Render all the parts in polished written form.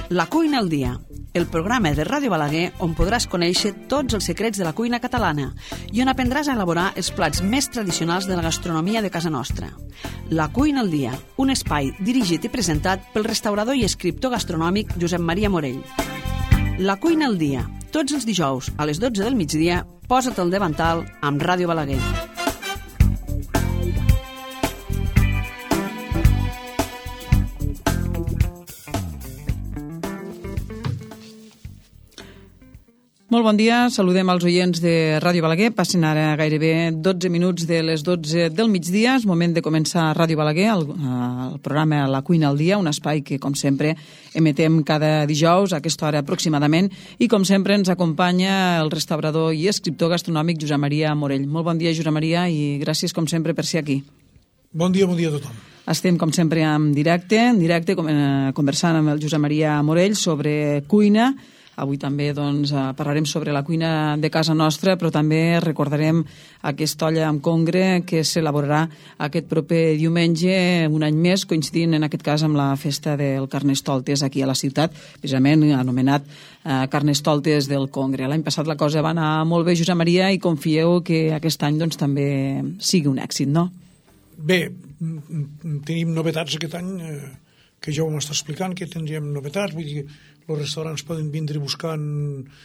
La cuina al dia, el programa de Ràdio Balaguer on podràs conèixer tots els secrets de la cuina catalana i on aprendràs a elaborar els plats més tradicionals de la gastronomia de casa nostra. La cuina al dia, un espai dirigit i presentat pel restaurador i escriptor gastronòmic Josep Maria Morell. La cuina al dia, tots els dijous a les 12 del migdia, posa't al davantal amb Ràdio Balaguer. Molt bon dia, saludem als oients de Ràdio Balaguer. Passen ara gairebé 12 minuts de les 12 del migdia. És moment de començar Ràdio Balaguer, el programa La cuina al dia, un espai que, com sempre, emetem cada dijous a aquesta hora aproximadament. I, com sempre, ens acompanya el restaurador i escriptor gastronòmic Josep Maria Morell. Molt bon dia, Josep Maria, i gràcies, com sempre, per ser aquí. Bon dia a tothom. Estem, com sempre, en directe conversant amb el Josep Maria Morell sobre cuina. Avui també parlarem sobre la cuina de casa nostra, però també recordarem aquesta olla amb congre que s'elaborarà aquest proper diumenge, un any més, coincidint en aquest cas amb la festa del Carnestoltes aquí a la ciutat, precisament anomenat Carnestoltes del Congre. L'any passat la cosa va anar molt bé, Josep Maria, i confieu que aquest any també sigui un èxit, no? Bé, tenim novetats aquest any, que ja ho m'està explicant, que tindríem novetats, vull dir, els restaurants poden vindre buscant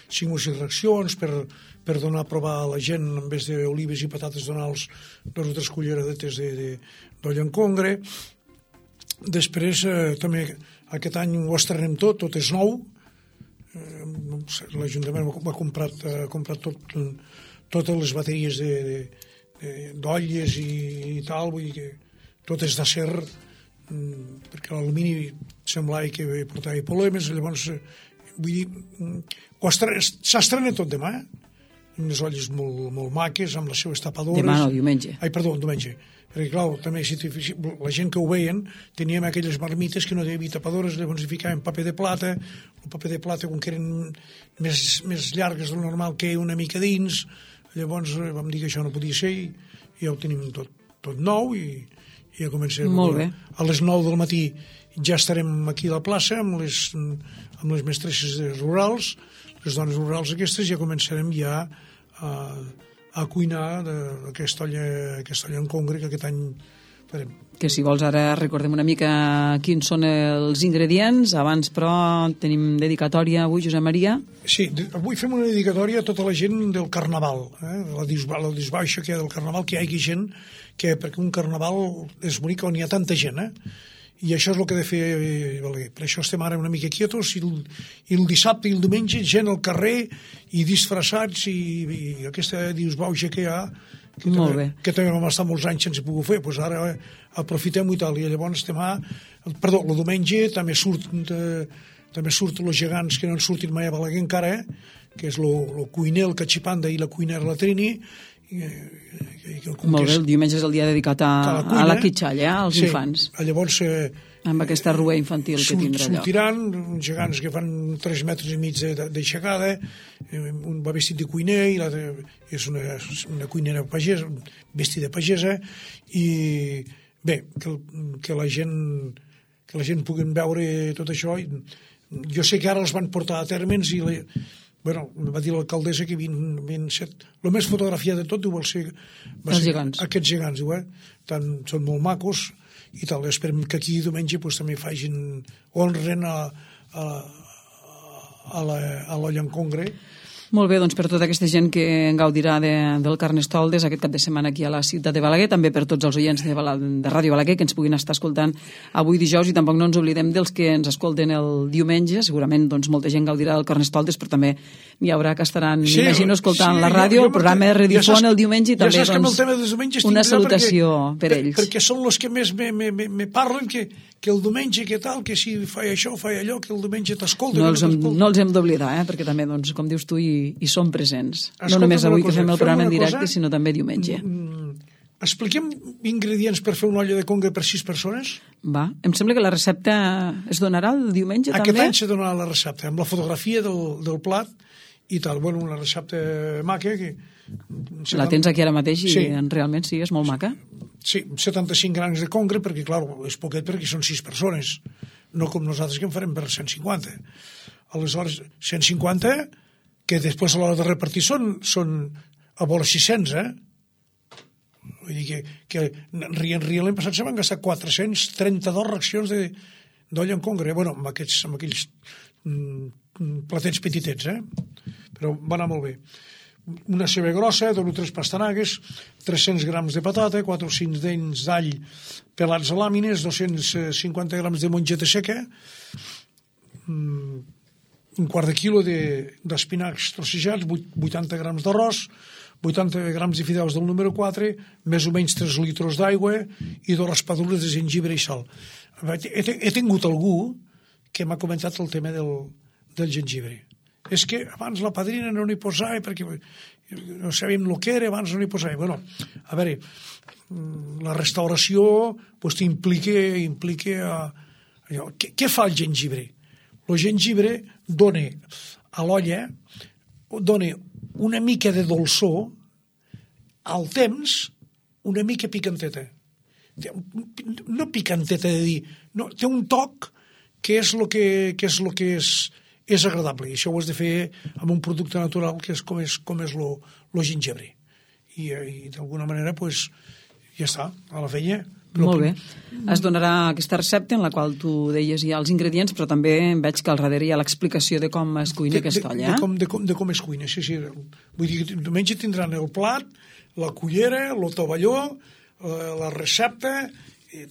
5 o 6 racions per donar a provar a la gent, en vez d'olives i patates, donar-los 2 o 3 culleradetes d'olla en congre. Després, també, aquest any ho estrenem tot és nou. L'Ajuntament ha comprat totes les bateries d'olles i tal, vull dir que tot és d'acer, perquè l'alumini semblava que portava problemes. Llavors, vull dir, s'estrena tot demà, amb les olles molt maques, amb les seves tapadores. Demà no, diumenge. Diumenge. Perquè, clar, també la gent que ho veien, teníem aquelles marmites que no hi havia tapadores, llavors hi ficaven paper de plata, el paper de plata, com que eren més llargues del normal, que una mica dins. Llavors vam dir que això no podia ser i ja ho tenim tot nou i ja comencem. Molt bé. A les 9 del matí ja estarem aquí a la plaça amb les mestresses rurals, les dones rurals aquestes, ja començarem ja a cuinar aquesta olla en congre que aquest any farem. Que si vols ara recordem una mica quins són els ingredients. Abans, però, tenim dedicatòria avui, Josep Maria. Sí, avui fem una dedicatòria a tota la gent del Carnaval, la disbaixa que hi ha del Carnaval, que hi hagi gent, perquè un Carnaval és bonic on hi ha tanta gent, i això és el que ha de fer Balaguer. Per això estem ara una mica quietos, i el dissabte i el diumenge gent al carrer i disfressats, i aquesta disbaixa que hi ha, que també vam estar molts anys sense poder fer, doncs ara aprofitem-ho i tal. I llavors el diumenge també surten els gegants que no han sortit mai a Balaguer encara, que és el cuiner, el catxipanda i la cuinera la Trini. Molt bé, el diumenge és el dia dedicat a la quitxalla, als infants. Llavors, amb aquesta rua infantil que tindrà allò. Sortiran uns gegants que fan 3 metres i mig d'aixecada, un va vestit de cuiner i l'altre és una cuinera pagesa, vestida pagesa, i bé, que la gent pugui veure tot això. Jo sé que ara els van portar a termes i va dir l'alcaldessa que el més fotografiat de tot va ser aquests gegants, són molt macos i tal. Esperem que aquí diumenge també honren a l'olla en congre. Molt bé, doncs per tota aquesta gent que gaudirà del Carnestoltes aquest cap de setmana aquí a la ciutat de Balaguer, també per tots els oients de Ràdio Balaguer que ens puguin estar escoltant avui dijous, i tampoc no ens oblidem dels que ens escolten el diumenge. Segurament molta gent gaudirà del Carnestoltes, però també n'hi haurà que estaran, m'imagino, escoltant la ràdio, el programa de redifon el diumenge, i també una salutació per ells. Perquè són els que més me parlen, que el diumenge, que tal, que si fa això, fa allò, que el diumenge t'escolten. No els hem d'oblidar, perquè també, com dius tu, i són presents. No només avui que fem el programa en directe, sinó també diumenge. Expliquem ingredients per fer una olla de congre per 6 persones? Va. Em sembla que la recepta es donarà el diumenge, també? Aquest any se donarà la recepta, amb la fotografia del plat i tal. Bueno, una recepta maca que... La tens aquí ara mateix i realment sí, és molt maca. Sí, 75 grams de congre, perquè, clar, és poquet perquè són 6 persones. no com nosaltres que en farem per 150. Aleshores, 150, que després a l'hora de repartir són a vora 600, Vull dir que rient l'any passat se van gastar 432 racions d'olla en congre, amb aquells platets petitets, però va anar molt bé. Una ceba grossa, 2 o 3 pastanagues, 300 grams de patata, 4 o 5 dents d'all pelats a làmines, 250 grams de mongeta seca, un quart de quilo d'espinacs trossejats, 80 grams d'arròs, 80 grams de fideus del número 4, més o menys 3 litres d'aigua i 2 raspadures de gengibre i sal. He tingut algú que m'ha comentat el tema del gengibre. És que abans la padrina no n'hi posava perquè no sabíem el que era, abans no n'hi posava. Bueno, a veure, la restauració t'implica què fa el gengibre? El gengibre dona a l'olla una mica de dolçor, al temps una mica picanteta. No picanteta de dir, no, té un toc que és el que és agradable, i això ho has de fer amb un producte natural que és com és el gengibre. I d'alguna manera, ja està, a la feina. Molt bé. Es donarà aquesta recepta en la qual tu deies ja els ingredients, però també veig que al darrere hi ha l'explicació de com es cuina aquesta olla. De com es cuina, sí. Vull dir que diumenge tindran el plat, la cullera, el tovalló, la recepta,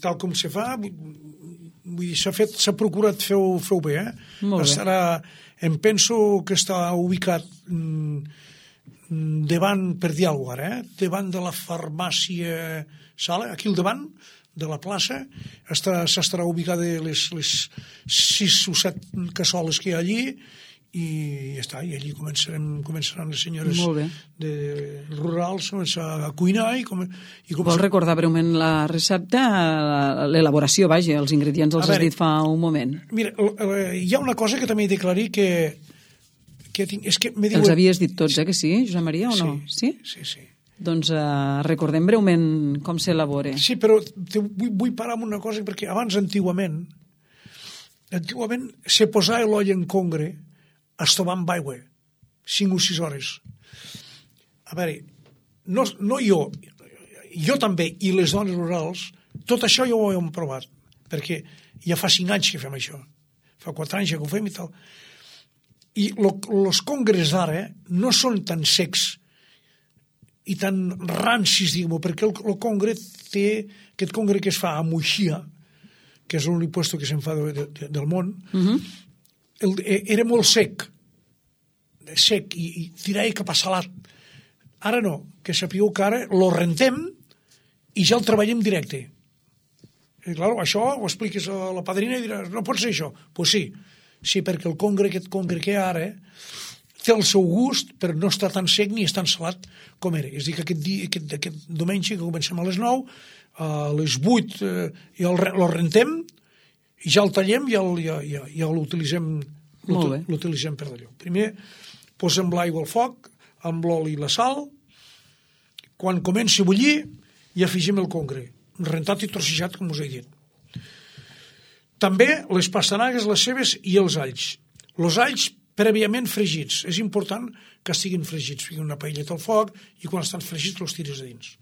tal com se fa. Vull dir, s'ha procurat fer-ho bé. Em penso que està ubicat davant, per dir alguna cosa, davant de la farmàcia Sala, aquí al davant de la plaça, s'estarà ubicada les 6 o 7 cassoles que hi ha allí, i ja està, i allí començaran les senyores rurals a cuinar. Vols recordar breument la recepta, l'elaboració, vaja, els ingredients els has dit fa un moment. Mira, hi ha una cosa que també he d'aclarir que és que els havies dit tots, que sí, Josep Maria, o no? Sí. Doncs recordem breument com s'elabora. Sí, però vull parar amb una cosa, perquè abans, antigament se posava l'olla en congre a estovar amb aigua 5 o 6 hores. A veure, no jo també, i les dones rurals, tot això ja ho hem provat, perquè ja fa 5 anys que fem això, fa 4 anys que ho fem i tal. I els congres d'ara no són tan secs i tan rancis, diguem-ho, perquè el congre té aquest congre que es fa a Moixia, que és l'únic puesto que se'n fa del món, era molt sec i tirava cap a salat. Ara no, que sapigueu que ara lo rentem i ja el treballem directe. I clar, això ho expliques a la padrina i diràs, no pot ser això. Doncs sí, perquè aquest congre que hi ha ara té el seu gust, però no està tan sec ni és tan salat com era. És a dir, que aquest diumenge, que comencem a les 9, a les 8 ja el rentem i ja el tallem i ja l'utilitzem per d'allò. Primer posem l'aigua al foc, amb l'oli i la sal. Quan comenci a bullir, hi afegim el congre, rentat i trossejat, com us he dit. També les pastanagues, les cebes i els alls. Els alls prèviament fregits. És important que estiguin fregits. Fiquin una paelleta al foc i quan estan fregits els tires a dins.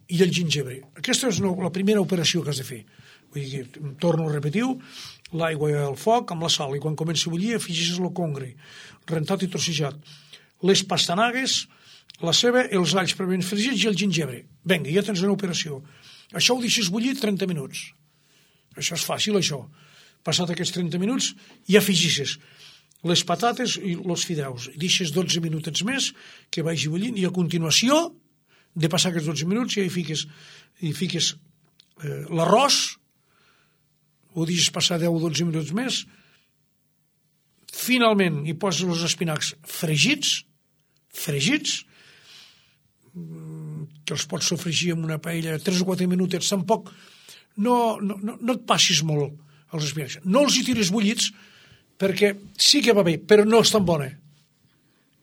I el gingebre. Aquesta és la primera operació que has de fer. Vull dir, torno a repetir, l'aigua al foc amb la sal i quan comenci a bullir afegeixes el congre, rentat i trossejat. Les pastanagues, la ceba, els alls prèviament fregits i el gingebre. Vinga, ja tens una operació. Això ho deixes bullir 30 minuts. Això és fàcil, això. Passat aquests 30 minuts i afegeixes les patates i els fideus. Deixes 12 minutets més que vagi bullint i a continuació de passar aquests 12 minuts ja hi fiques l'arròs, ho deixes passar 10 o 12 minuts més, finalment hi poses els espinacs fregits, que els pots sofregir en una paella 3 o 4 minutets, tampoc no et passis molt els espinacs. No els hi tires bullits, perquè sí que va bé, però no és tan bona.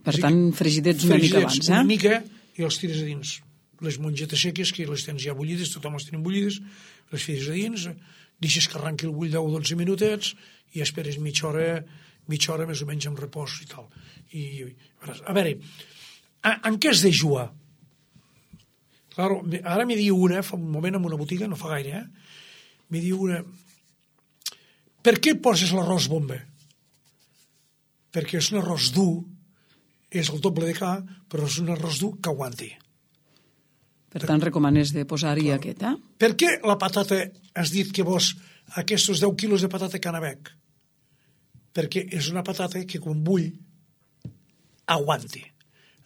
Per tant, fregidets una mica abans, una mica, i els tires a dins. Les mongetes seques, que les tens ja bullides, tothom les tenim bullides, les fides a dins, deixes que arranqui el bull 10 o 12 minutets i esperes mitja hora més o menys amb repòs i tal. A veure, en què es dejua? Claro, ara m'hi diu una, fa un moment en una botiga, no fa gaire, m'hi diu una, per què poses l'arròs bombe? Perquè és un arròs dur, és el doble de ca, però és un arròs dur que aguanti. Per tant, recomanes de posar-hi aquest, eh? Per què la patata, has dit que vos, aquests 10 quilos de patata canabec? Perquè és una patata que quan bull aguanti.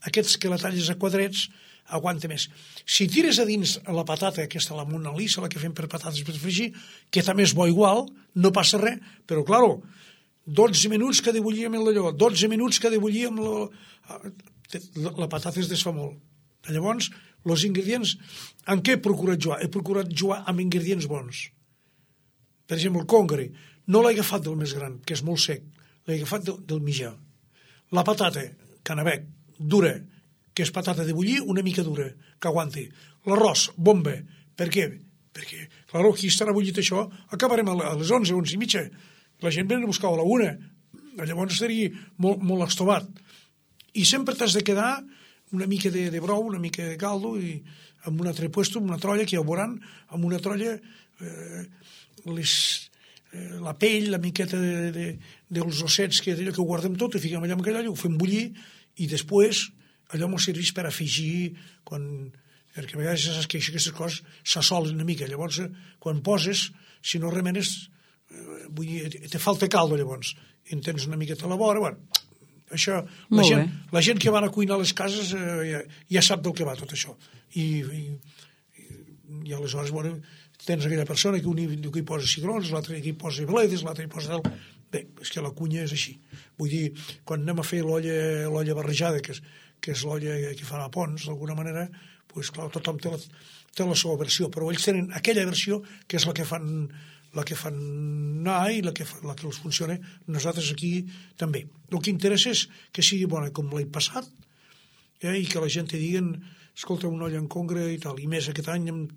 Aquests que la talles a quadrets aguanta més. Si tires a dins la patata, aquesta, la Mona Lisa, la que fem per patates per fregir, que també és bo igual, no passa res, però, claro, 12 minuts que ha de bullir amb allò, 12 minuts que ha de bullir amb la patata es desfà molt. Llavors, els ingredients, en què he procurat jugar? He procurat jugar amb ingredients bons. Per exemple, el congre, no l'he agafat del més gran, que és molt sec, l'he agafat del mitjà. La patata, canabec, dura, que és patata de bullir, una mica dura, que aguanti. L'arròs, bomba. Per què? Perquè, clar, aquí estarà bullit això, acabarem a les 11, 11 i mitja. La gent ve a buscar a la 1. Llavors estaria molt estovat. I sempre t'has de quedar una mica de brou, una mica de caldo, i amb un altre puesto, amb una trolla, que ja ho veuran, amb una trolla, la pell, la miqueta dels ossets, que d'allò que ho guardem tot, ho fiquem allà amb allò, ho fem bullir, i després allò m'ho serveix per afegir, perquè a vegades saps que aquestes coses s'assolen una mica. Llavors, quan poses, si no remenes, te falta caldo, llavors, i en tens una miqueta a la vora, bueno, això, la gent que van a cuinar a les cases ja sap del que va tot això. I aleshores, bueno, tens aquella persona que un hi posa cigrons, l'altre hi posa bledes, l'altre hi posa... Bé, és que la cuina és així. Vull dir, quan anem a fer l'olla barrejada, que és l'olla que fan a Pons, d'alguna manera, doncs, clar, tothom té la seva versió, però ells tenen aquella versió que és la que fan anar i la que els funciona. Nosaltres aquí també. El que interessa és que sigui bona com l'any passat, i que la gent te diguen, escolta, una olla en congre i tal, i més aquest any amb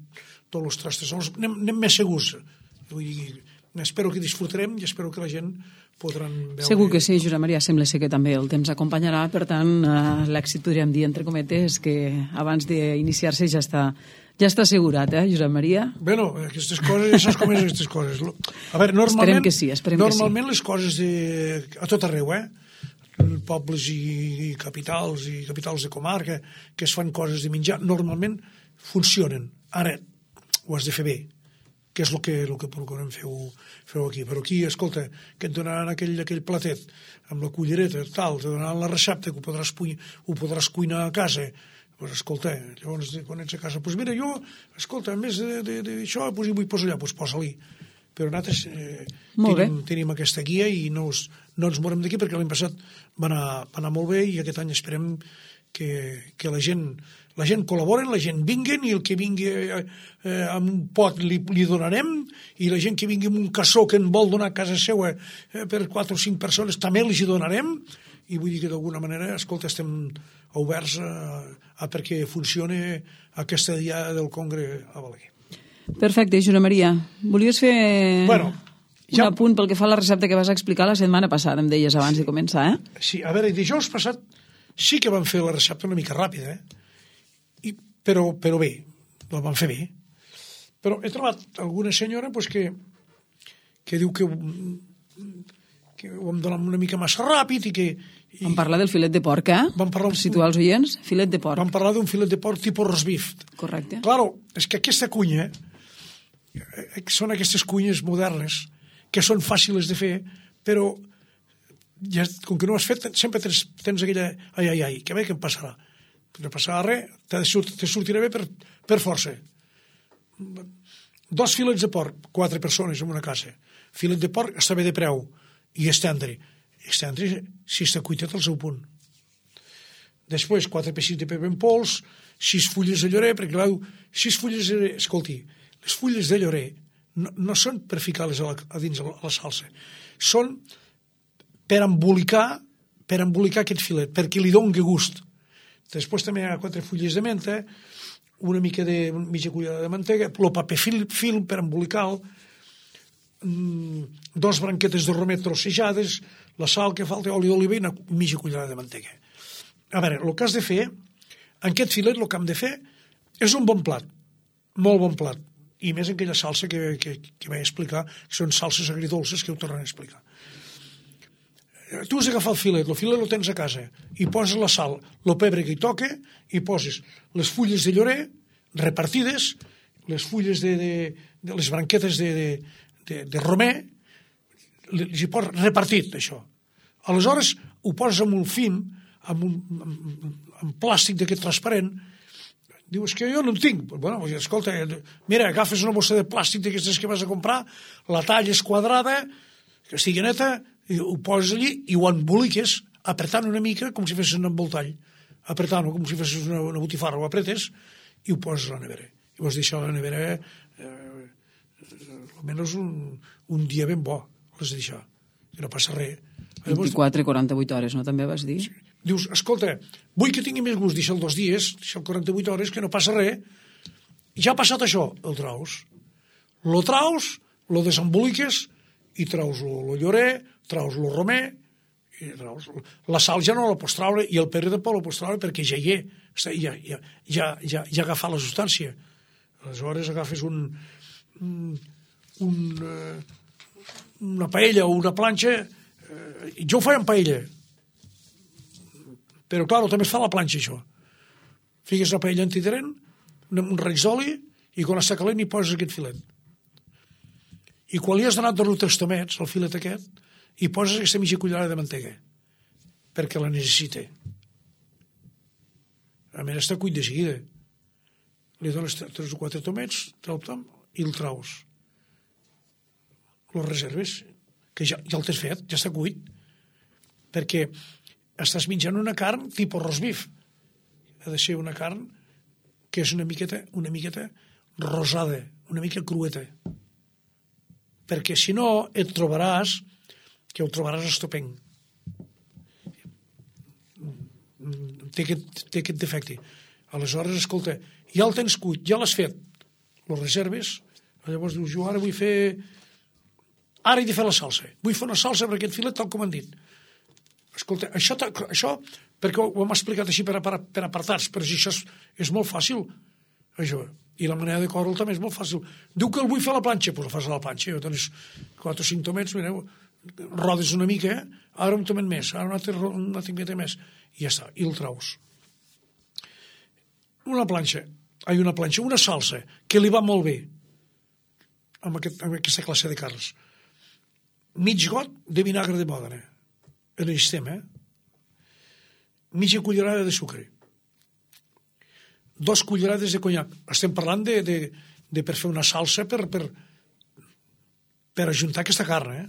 tots els trastes anem més segurs. Vull dir, espero que disfrutarem i espero que la gent podran veure... Segur que sí, Josep Maria, sembla ser que també el temps acompanyarà, per tant, l'èxit podríem dir, entre cometes, que abans d'iniciar-se ja està assegurat, Josep Maria? Bueno, aquestes coses, ja saps com és aquestes coses. A veure, normalment... Esperem que sí. Normalment les coses a tot arreu, pobles i capitals de comarca, que es fan coses de menjar, normalment funcionen. Ara, ho has de fer bé, que és el que procurem fer aquí. Però aquí, escolta, que et donaran aquell platet amb la cullereta, tal, te donaran la recepta, que ho podràs cuinar a casa. Doncs escolta, llavors, quan ets a casa, doncs mira, jo, escolta, a més d'això, doncs hi vull posar allà, doncs posa-li. Però nosaltres tenim aquesta guia i no ens morem d'aquí, perquè l'any passat va anar molt bé i aquest any esperem que la gent col·laboren, la gent vinguen, i el que vingui amb un pot li donarem, i la gent que vingui amb un cassó que en vol donar a casa seva per 4 o 5 persones també els hi donarem, i vull dir que d'alguna manera, escolta, estem oberts a perquè funcioni aquesta dia del Congre a Balaguer. Perfecte, Josep Maria. Volies fer un apunt pel que fa a la recepta que vas explicar la setmana passada, em deies abans de començar, Sí, a veure, dijous passat sí que vam fer la recepta una mica ràpida, però bé, la vam fer bé. Però he trobat alguna senyora que diu que ho hem donat una mica massa ràpid i que... Vam parlar del filet de porc, per situar els oients, filet de porc. Vam parlar d'un filet de porc tipus roast beef. Correcte. Claro, és que aquesta cuina, són aquestes cuines modernes, que són fàcils de fer, però ja, com que no ho has fet, sempre tens aquella... Ai, que bé que em passarà. No passarà res, te sortirà bé per força. 2 filets de porc, 4 persones en una casa. Filet de porc està bé de preu, i estendre, si està cuitat al seu punt. Després, 4 peixits de pebre en pols, 6 fulles de llorer, perquè clar, 6 fulles de llorer, escolti, les fulles de llorer no són per ficar-les a dins la salsa, són per embolicar aquest filet, perquè li doni gust. Després també hi ha 4 fulles de menta, una mitja cullerada de mantega, el paper film per embolicar-lo, 2 branquetes de romer trossejades, la sal que falta, oli d'oliva i una mitja cullerada de mantega. A veure, el que has de fer, en aquest filet el que hem de fer és un bon plat, molt bon plat, i més en aquella salsa que vaig explicar, que són salses agridolces que ho tornen a explicar. Tu has d'agafar el filet el tens a casa, i poses la sal, el pebre que hi toca, i poses les fulles de llorer repartides, les fulles de les branquetes de romer, les hi poses repartit, això. Aleshores, ho poses amb un film, amb plàstic d'aquest transparent. Dius que jo no en tinc. Bueno, escolta, mira, agafes una bossa de plàstic d'aquestes que vas a comprar, la talles quadrada, que estigui neta, i ho poses allí i ho emboliques apretant una mica com si fessis un envoltall, apretant-ho com si fessis una botifarra, ho apretes i ho poses a la nevera. I vols deixar a la nevera almenys un dia ben bo, l'has de deixar, que no passa res. 24-48 hores, no? També vas dir? Sí. Dius, escolta, vull que tingui més gust, deixa'l 2 dies, deixa'l 48 hores, que no passa res. Ja ha passat això, el traus. Lo traus, lo desemboliques i traus el llorer, traus el romer, i traus... La sal ja no la pots traure i el pebre tampoc la pots traure perquè ja hi és, ja ha agafat la substància. Aleshores agafes una paella o una planxa, jo ho faig en paella, però clar, també es fa la planxa això. Fiques la paella antiderent, un raig d'oli, i quan està calent hi poses aquest filet. I quan li has donat 2 tastomets, el filet aquest, hi poses aquesta mitja cullerada de mantega, perquè la necessita. A més, està cuit de seguida. Li dones 3 o 4 tomets, i el traus. Los reserves, que ja el t'has fet, ja està cuit, perquè estàs menjant una carn tipus roast beef. Ha de ser una carn que és una miqueta rosada, una mica crueta. Perquè si no et trobaràs que ho trobaràs estopenc. Té aquest defecte. Aleshores, escolta, ja el tens cuit, ja l'has fet, lo reserves, llavors dius, jo ara vull fer... Ara he de fer la salsa. Vull fer una salsa per aquest filet tal com han dit. Escolta, això perquè ho hem explicat així per apartats, però si això és molt fàcil, això. I la manera de córrer també és molt fàcil. Diu que el vull fer a la planxa, doncs el fas a la planxa. Jo tens 4 o 5 tomets, mireu, rodes una mica, ara un tomet més, ara una altra més, i ja està, i el traus. Una salsa que li va molt bé amb aquesta classe de carns. Mig got de vinagre de Mòdena, en el sistema, mitja cullerada de sucre, 2 cullerades de conyac. Estem parlant de per fer una salsa per ajuntar aquesta carn,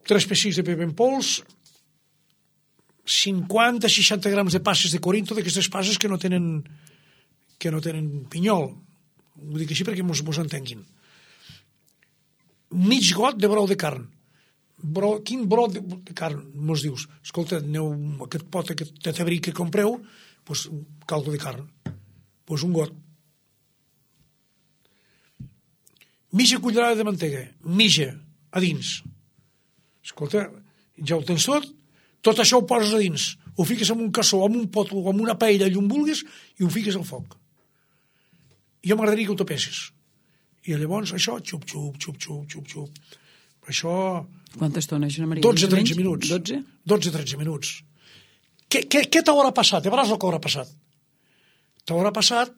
3 pessics de pebre en pols, 50-60 grams de passes de Corinto, d'aquestes passes que no tenen pinyol. Ho dic així perquè mos entenguin. Mig got de brou de carn. Quin brou de carn mos dius? Escolta, aneu aquest pot, aquest tabrí que compreu, doncs caldo de carn. Doncs un got. Mitja cullerada de mantega. Mitja, a dins. Escolta, ja ho tens tot això ho poses a dins. Ho fiques en un cassó, en un pot o en una paella, allà on vulguis, i ho fiques al foc. Jo m'agradaria que ho tapessis. I llavors això, xup. Això... Quanta estona, Joan Maria? 12-13 minuts. 12-13 minuts. Què t'haurà passat? Veuràs el que haurà passat. T'haurà passat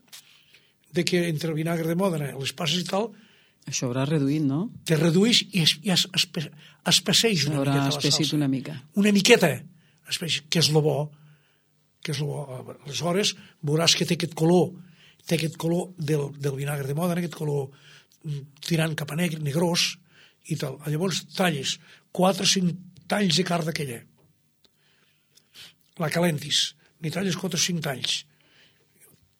de que entre el vinagre de Mòdena, les passes i tal... Això haurà reduït, no? Te reduïx i espesseix una miqueta la salsa. Una mica. Una miqueta, que és lo bo. Aleshores veuràs que té aquest color del vinagre de Mòdena, aquest color tirant cap a negre, negrós, i tal. Llavors talles 4 o 5 talls de carn d'aquella. La calentis. N'hi talles 4 o 5 talls.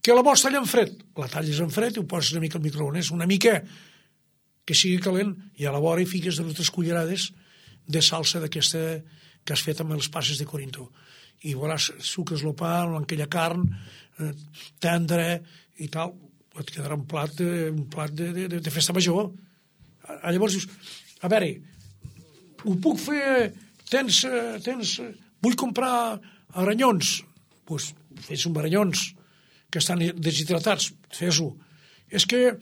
Que la vols tallar en fred? La talles en fred i ho poses una mica al microones, una mica que sigui calent, i a la vora hi fiques 2 o 3 cullerades de salsa d'aquesta que has fet amb les passes de Corinto. I veuràs, suques el pa amb aquella carn tendra i tal, et quedarà un plat de festa major. Llavors dius, a veure, ho puc fer, vull comprar aranyons, doncs fes un aranyons que estan deshidratats, fes-ho. És que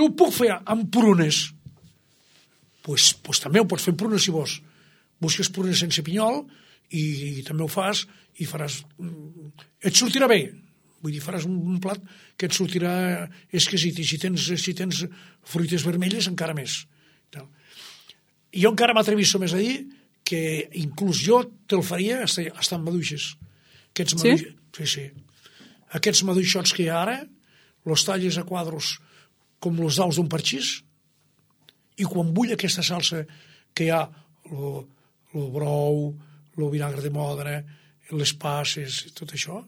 ho puc fer amb prunes? Doncs també ho pots fer amb prunes si vols. Busques prunes sense pinyol i també ho fas i faràs... Et sortirà bé. Vull dir, faràs un plat que et sortirà exquisit, i si tens fruites vermelles encara més. Jo encara m'atrevisso més a dir que inclús jo te'l faria estar amb maduixes. Sí? Aquests maduixots que hi ha ara, los talles a quadros com los daus d'un parxís, i quan bull aquesta salsa que hi ha, el brou, el vinagre de Mòdena, les passes, tot això,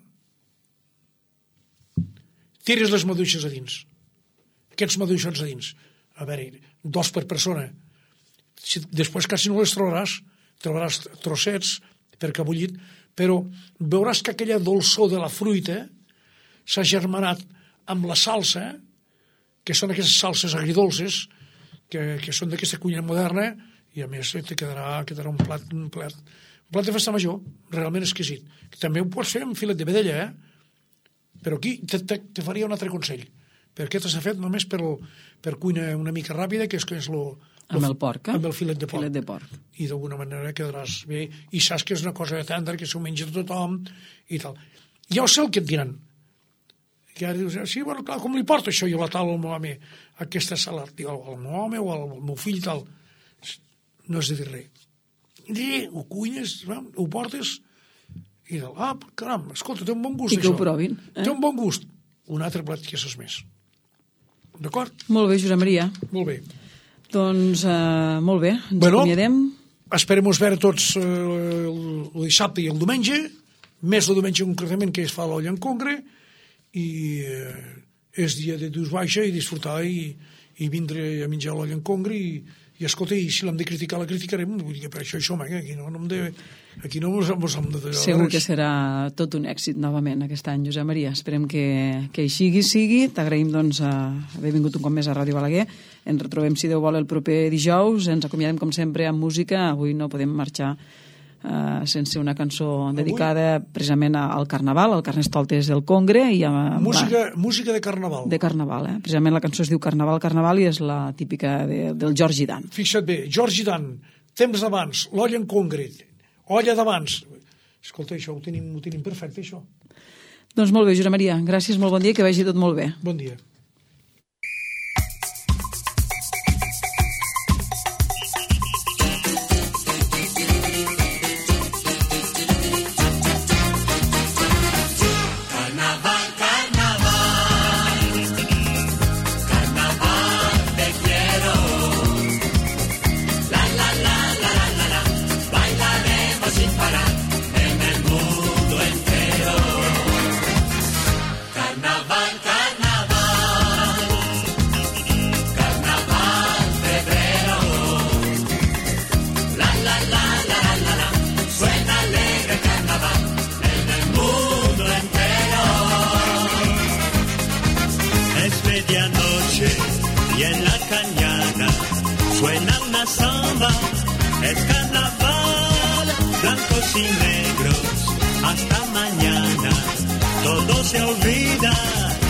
tires les maduixes a dins. Aquests maduixots a dins. A veure, 2 per persona. Després quasi no les trobaràs trossets perquè ha bullit, però veuràs que aquella dolçor de la fruita s'ha germanat amb la salsa, que són aquestes salses agridolces, que són d'aquesta cuina moderna, i a més te quedarà un plat de festa major, realment exquisit. També ho pots fer amb filet de vedella, però aquí te faria un altre consell, perquè aquest s'ha fet només per cuina una mica ràpida, que és amb el porc, amb el filet de porc. I d'alguna manera quedaràs bé, i saps que és una cosa tendra, que s'ho menja tothom, i tal. Ja ho sé el que et diran. Que ara dius, sí, bueno, clar, com li porto això jo a la taula al meu home, aquesta salat? Diu, al meu home o al meu fill, tal. No has de dir res. Ho cuines, ho portes, i tal, caram, escolta, té un bon gust, això. I que ho provin. Té un bon gust. Un altre plat que és més. D'acord? Molt bé, Josep Maria. Molt bé. Doncs, molt bé, ens acomiadem. Esperem-nos veure tots el dissabte i el diumenge, més el diumenge concretament, que es fa l'olla en congre, i és dia de dus baixa i disfrutar i vindre a menjar l'olla en congre i escolta, i si l'hem de criticar la criticarem, vull dir que per això hi som, aquí no hem de... Segur que serà tot un èxit novament aquest any, Josep Maria. Esperem que així sigui. T'agraïm doncs haver vingut un cop més a Ràdio Balaguer. Ens retrobem, si Déu vol, el proper dijous. Ens acomiadem com sempre amb música. Avui no podem marxar sense una cançó dedicada precisament al Carnaval, al Carnestoltes del Congre. Música de Carnaval. De Carnaval, Precisament la cançó es diu Carnaval, Carnaval, i és la típica del Georgi Dan. Fixa't bé, Georgi Dan, temps d'abans, l'olla en Congre, olla d'abans. Escolta, això ho tenim perfecte, això. Doncs molt bé, Josep Maria. Gràcies, molt bon dia, que vagi tot molt bé. Bon dia. Y en la cañada suena una samba, es carnaval, blancos y negros, hasta mañana, todo se olvida.